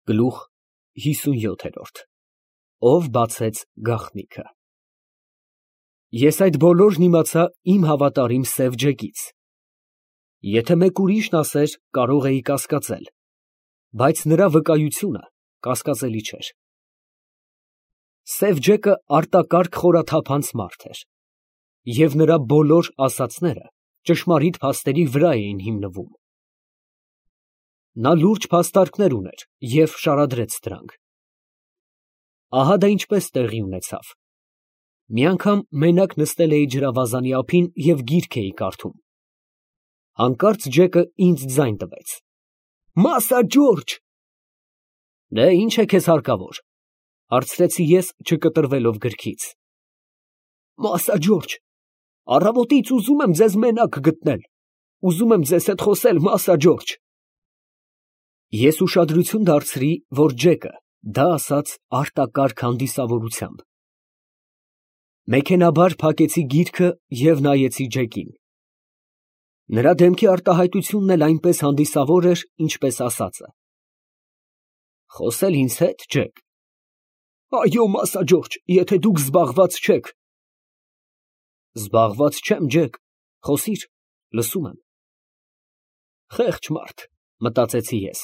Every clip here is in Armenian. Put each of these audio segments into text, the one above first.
Գլուխ 57 Ով բացեց գաղտնիքը։ Ես այդ բոլորն իմացա իմ հավատարիմ սև ջեկից. եթե մեկ ուրիշն ասեր, կարող էի կասկածել, բայց նրա վկայությունը կասկածելի չէր։ Սև ջեկը արտակարգ խորաթափանց մարդ էր, և նրա բոլոր ասածները ճշմարիտ փաստերի վրա էին հիմնվում։ Նա լուրջ փաստարկներ ուներ և շարադրեց դրանք։ Ահա դա ինչպես տեղի ունեցավ. մի անգամ մենակ նստել էի ջրավազանի ափին և գիրք էի կարդում։ Հանկարծ ջեկը ինձ ձայն տվեց. «Մասա Ջորջ»։ Դե ի՞նչ է քեզ հարկավոր, հարցրեցի ես, չկտրվելով գրքից։ «Մասա Ջորջ, առավոտից ուզում եմ ձեզ մենակ գտնել, ուզում եմ ձեզ հետ խոսել, Մասա Ջորջ»։ Ես ուշադրություն դարձրի, որ ջեկը դա ասաց արտակարգ հանդիսավորությամբ։ Մեքենայաբար փակեցի գիրքը և նայեցի ջեկին։ Նրա դեմքի արտահայտությունն էլ այնպես հանդիսավոր էր, ինչպես ասածը։ Խոսել ինձ հետ, Ջեք։ Այո, Մասա Ջորջ, եթե դուք զբաղված չեք։ Զբաղված չեմ, Ջեք, խոսիր, լսում եմ։ Խեղճ մարդ, մտածեցի ես։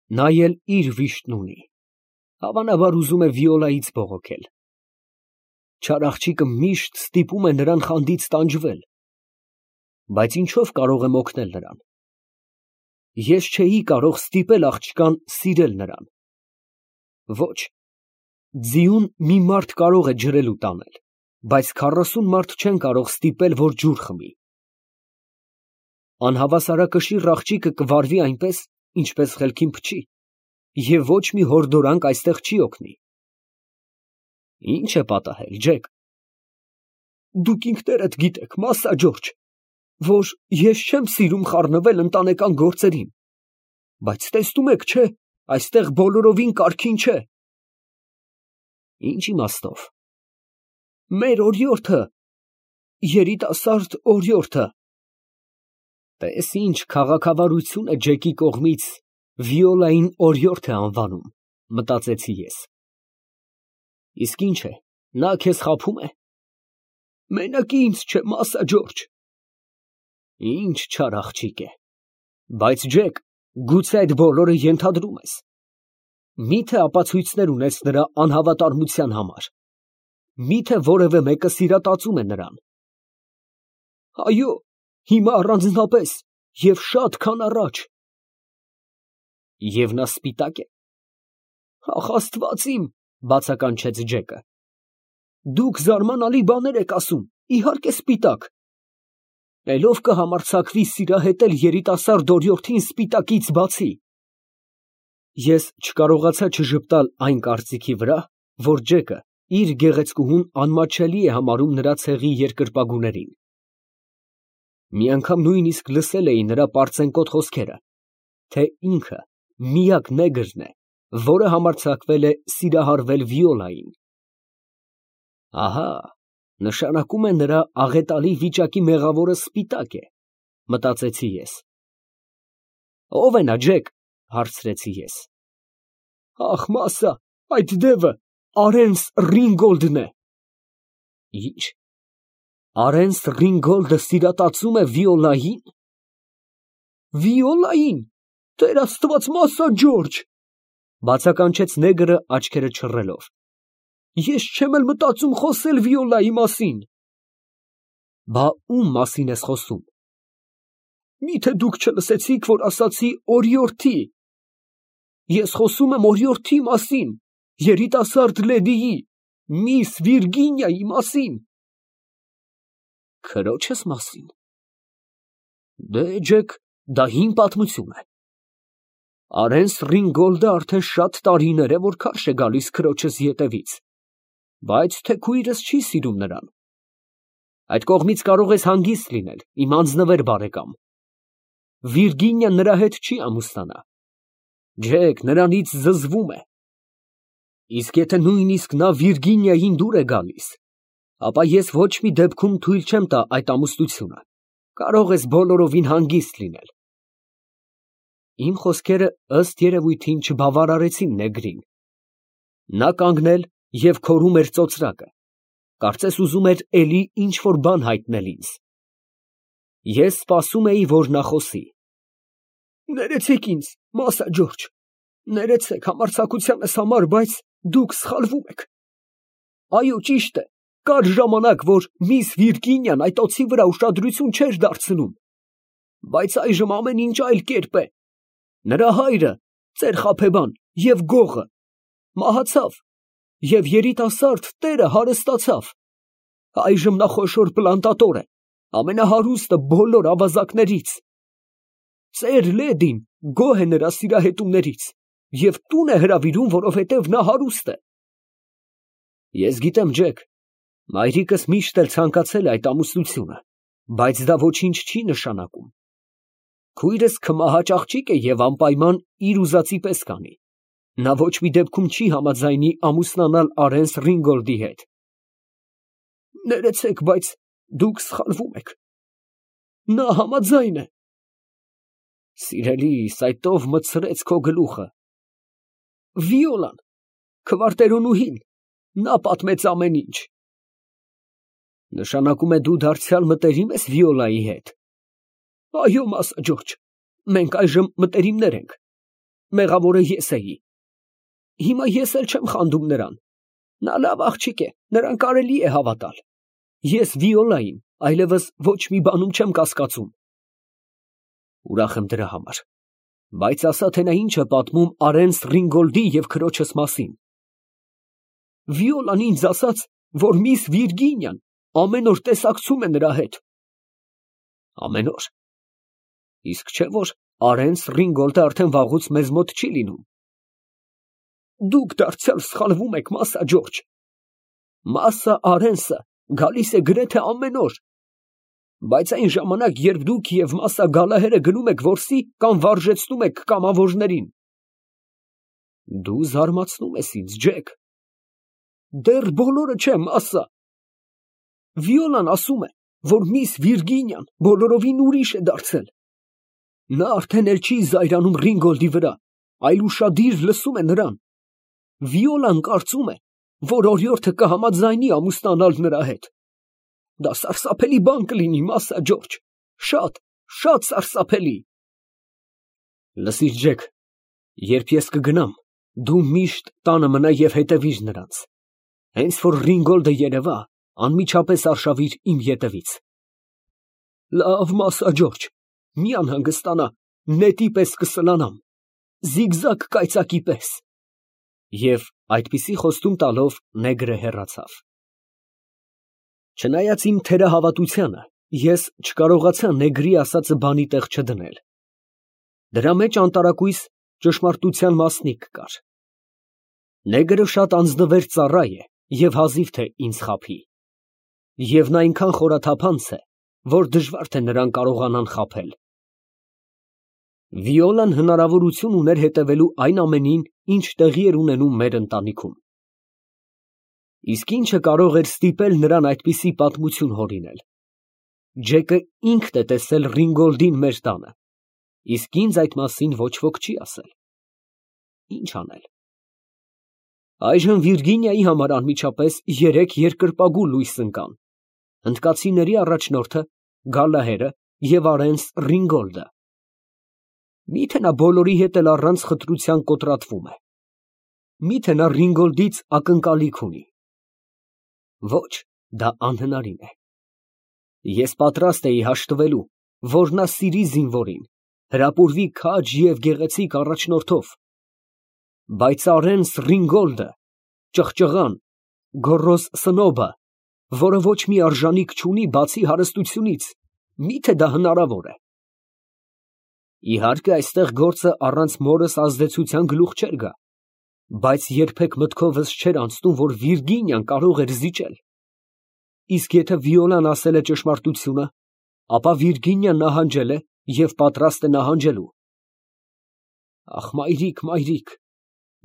Նա էլ իր վիշտն ունի, հավանաբար ուզում է Վիոլայից բողոքել։ Չար աղջիկը միշտ ստիպում է նրան խանդից տանջվել, բայց ինչով կարող եմ օգնել նրան։ Ես չէի կարող ստիպել աղջկան սիրել նրան։ Ոչ, ձիուն մի մարդ կարող է ջրելու տանել, բայց 40 մարդ չեն կարող ստիպել, որ ջուր խմի։ Անհավասարակշիռ աղջիկը կվարվի այնպես, ինչպես խելքին փչի, և ոչ մի հորդորանք այստեղ չի օգնի։ Ինչ է պատահել, Ջեք։ Դուք ինքներդ գիտեք, Մասա Ջորջ, որ ես չեմ սիրում խառնվել ընտանեկան գործերին, բայց տեսնում եք, չէ, այստեղ բոլորովին կարգին չէ։ Ինչ իմաստով։ Մեր օրիորդը, երիտասարդ օրիորդը։ Տես ինչ քաղաքավարություն է Ջեկի կողմից Վիոլային օրիորդ է անվանում, մտածեցի ես։ Իսկ ինչ է, նա քեզ խաբում է։ Մենակի ինձ չէ, Մասա Ջորջ։ Ինչ չար աղջիկ է։ Բայց Ջեք, գուցե այդ բոլորը ենթադրում ես։ Մի՞թե ապացույցներ ունես նրա անհավատարմության համար։ Մի՞թե որևէ մեկը սիրատացում է նրան։ Այո, հիմա առանձնապես և շատ քան առաջ։ Եվ նա սպիտակ է։ Ախ, Աստված իմ, բացականչեց Ջեկը։ Դուք զարմանալի բաներ եք ասում, իհարկե սպիտակ։ Էլ ով կհամարձակվի սիրահետել երիտասարդ օրիորդին սպիտակից բացի։ Ես չկարողացա չժպտալ այն կարծիքի վրա, որ Ջեկը իր գեղեցկուհուն անմատչելի է համարում նրա ցեղի երկրպագուներին։ Մի անգամ նույնիսկ լսել էի նրա պարծենկոտ խոսքերը, թե ինքը միակ նեգրն է, որը համարձակվել է սիրահարվել Վիոլային։ Ահա, նշանակում է նրա աղետալի վիճակի մեղավորը սպիտակ է, մտածեցի ես։ Ո՞վ է նա, Ջեք, հարցրեցի ես։ Ախ, Մասա, այդ դևը Արենս Ռինգոլդն է։ Ինչ։ Արենս Ռինգոլդը սիրատացում է Վիոլային։ Վիոլային, Տեր Աստված, Մասա Ջորջ, բացականչեց նեգրը աչքերը չռելով։ Ես չեմ էլ մտածում խոսել Վիոլայի մասին։ Բա ում մասին ես խոսում։ Միթե դուք չլսեցիք, որ ասացի օրիորդի։ Ես խոսում եմ օրիորդի մասին, երիտասարդ լեդիի, միս Վիրգինիայի մասին։ Քրոջս մասին։ Դե, Ջեք, դա հին պատմություն է։ Արենս Ռինգոլդը արդեն շատ տարիներ է, որ քարշ է գալիս քրոջս ետևից, բայց թեքույրս չի սիրում նրան։ Այդ կողմից կարող ես հանգիստ լինել, իմ անձնվեր բարեկամ։ Վիրգինիան նրա հետ չի ամուսնանա։ Ջեք նրանից զզվում է։ Իսկ եթե նույնիսկ նա Վիրգինիային դուր է գալիս, ապա ես ոչ մի դեպքում թույլ չեմ տա այդ ամուսնությունը։ Կարող ես բոլորովին հանգիստ լինել։ Իմ խոսքերը ըստ երևույթին չբավարարեցին նեգրին. նա կանգնել և քորում էր ծոծրակը, կարծես ուզում էր էլի ինչ֊որ բան հայտնել ինձ։ Ես սպասում էի, որ նա խոսի։ Ներեցեք ինձ, Մասա Ջորջ, ներեցեք համարձակությանս համար, բայց դուք սխալվում եք։ Այո, ճիշտ է, կար ժամանակ, որ միս Վիրգինիան այդ օձի վրա ուշադրություն չէր դարձնում, բայց այժմ ամեն ինչ այլ կերպ է։ Նրա հայրը, ծեր Խաբեբան և գողը, մահացավ, և երիտասարդ տերը հարստացավ։ Այժմ նա խոշոր պլանտատոր է, ամենահարուստը բոլոր ավազակներից։ Ծեր Լեդին գոհ է նրա սիրահետումներից և տուն է հրավիրում, որովհետև նա հարուստ է։ Ես գիտեմ, Ջեք, մայրիկս միշտ էլ ցանկացել է այդ ամուսնությունը, բայց դա ոչինչ չի նշանակում։ Քույրս քմահաճ աղջիկ է և անպայման իր ուզածի պես կանի։ Նա ոչ մի դեպքում չի համաձայնի ամուսնանալ Արենս Ռինգոլդի հետ։ Ներեցեք, բայց դուք սխալվում եք։ Նա համաձայն է։ Սիրելիս, այդ ով մտցրեց քո գլուխը։ Վիոլան, քվարտերոնուհին, նա պատմեց ամեն ինչ։ Նշանակում է դու դարձյալ մտերիմ ես Վիոլայի հետ։ Այո, Մասա Ջորջ, մենք այժմ մտերիմներ ենք։ Մեղավորը ես էի։ Հիմա ես էլ չեմ խանդում նրան։ Նա լավ աղջիկ է, նրան կարելի է հավատալ։ Ես Վիոլային այլևս ոչ մի բանում չեմ կասկածում։ Ուրախ եմ դրա համար, բայց ասա, թե նա ինչ է պատմում Արենս Ռինգոլդի և քրոջս մասին։ Վիոլան ինձ ասաց, որ միս Վիրգինիան ամեն օր տեսակցում է նրա հետ։ Ամեն օր։ Իսկ չէ՞ որ Արենս Ռինգոլդը արդեն վաղուց մեզ մոտ չի լինում։ Դուք դարձյալ սխալվում եք, Մասա Ջորջ։ Մասա Արենսը գալիս է գրեթե ամեն օր։ Բայց այն ժամանակ, երբ դուք և Մասա Գալահերը գնում եք որսի կամ վարժեցնում եք կամավորներին։ Դու զարմացնում ես ինձ, Ջեք։ Դեռ բոլորը չէ, Մասա։ Վիոլան ասում է, որ միս Վիրգինիան բոլորովին ուրիշ է դարձել։ Նա արդեն էլ չի զայրանում Ռինգոլդի վրա, այլ ուշադիր լսում է նրան։ Վիոլան կարծում է, որ օրիորդը կհամաձայնի ամուսնանալ նրա հետ։ Դա սարսափելի բան կլինի, Մասա Ջորջ, շատ, շատ սարսափելի։ Լսիր, Ջեք, երբ ես կգնամ, դու միշտ տանը մնա և հետևիր նրանց։ Հենց որ Ռինգոլդը երևա, անմիջապես արշավիր իմ ետևից։ Լավ, Մասա Ջորջ, մի անհանգստանա, նետի պես կսլանամ, զիգզագ կայծակի պես։ Եվ այդպիսի խոստում տալով նեգրը հեռացավ։ Չնայած իմ թերահավատությանը, ես չկարողացա նեգրի ասածը բանի տեղ չդնել։ Դրա մեջ անտարակույս ճշմարտության մասնիկ կար։ Նեգրը շատ անձնվեր ծառա է և հազիվ թե ինձ խաբի։ Եվ նա այնքան խորաթափանց է, որ դժվար թե նրան կարողանան խաբել։ Վիոլան հնարավորություն ուներ հետևելու այն ամենին, ինչ տեղի էր ունենում մեր ընտանիքում։ Իսկ ինչը կարող էր ստիպել նրան այդպիսի պատմություն հորինել։ Ջեկը ինքն է տեսել Ռինգոլդին մեր տանը, իսկ ինձ այդ մասին ոչ ոք չի ասել։ Ինչ անել։ Այժմ Վիրգինիայի համար անմիջապես 3 երկրպագու լույս ընկան. հնդկացիների առաջնորդը, Գալահերը և Արենս Ռինգոլդը։ Միթե նա բոլորի հետ էլ առանց խտրության կոտրատվում է։ Միթե նա Ռինգոլդից ակնկալիք ունի։ Ոչ, դա անհնարին է։ Ես պատրաստ էի հաշտվելու, որ նա սիրի զինվորին, հրապուրվի քաջ և գեղեցիկ առաջնորդով, բայց Արենս Ռինգոլդը, ճղճղան, գոռոզ սնոբը, որը ոչ մի արժանիք չունի բացի հարստությունից, միթե դա հնարավոր է։ Իհարկե, այստեղ գործը առանց մորս ազդեցության գլուխ չէր գա, բայց երբեք մտքովս չէր անցնում, որ Վիրգինիան կարող էր զիջել։ Իսկ եթե Վիոլան ասել է ճշմարտությունը, ապա Վիրգինիան նահանջել է և պատրաստ է նահանջելու։ Ախ, մայրիկ, մայրիկ,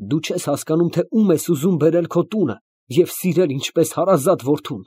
դու չես հասկանում, թե ում ես ուզում բերել քո տունը և սիրել ինչպես հարազատ որդուն։